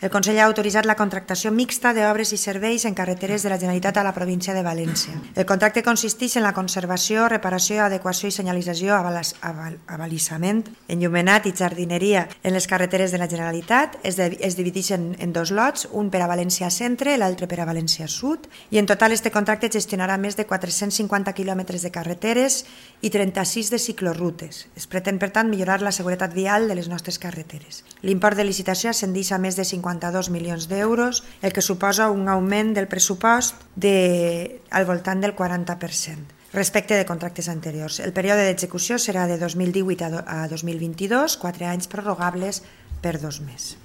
El Consell ha autoritzat la contractació mixta d'obres i serveis en carreteres de la Generalitat a la província de València. El contracte consisteix en la conservació, reparació, adequació i senyalització, abalissament, enllumenat i jardineria en les carreteres de la Generalitat. Es divideixen en dos lots, un per a València Centre i l'altre per a València Sud, i en total este contracte gestionarà més de 450 quilòmetres de carreteres i 36 de ciclorrutes. Es pretén, per tant, millorar la seguretat vial de les nostres carreteres. L'import de licitació ascendeix a més de 52 milions d'euros, el que suposa un augment del pressupost al voltant del 40% respecte de contractes anteriors. El període d'execució serà de 2018 a 2022, 4 anys prorrogables per 2 més.